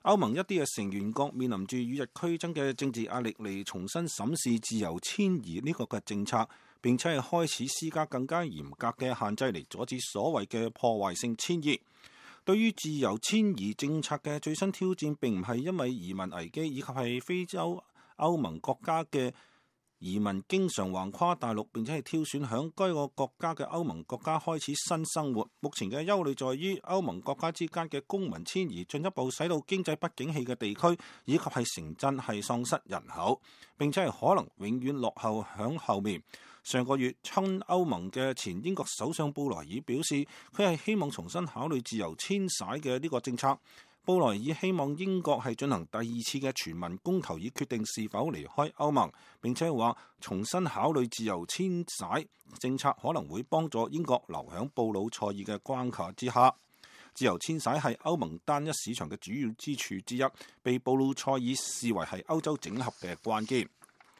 歐盟一啲嘅成員國面臨住與日俱增嘅政治壓力，嚟重新審視自由遷移呢個嘅政策，並且係開始施加更加嚴格嘅限制嚟阻止所謂嘅破壞性遷移。對於自由遷移政策嘅最新挑戰，並唔係因為移民危機，以及係非洲歐盟國家嘅移民經常橫跨大陸，並且係挑選響該個國家嘅歐盟國家開始新生活。目前嘅憂慮在於歐盟國家之間嘅公民遷移，進一步使到經濟不景氣嘅地區以及係城鎮係喪失人口，並且係可能永遠落後響後面。上個月親歐盟嘅前英國首相布萊爾表示，佢係希望重新考慮自由遷徙嘅呢個政策。布萊爾希望英國係進行第二次嘅全民公投，以決定是否離開歐盟，並且話重新考慮自由遷徙政策可能會幫助英國留響布魯塞爾嘅關卡之下。自由遷徙係歐盟單一市場嘅主要支柱之一，被布魯塞爾視為係歐洲整合嘅關鍵。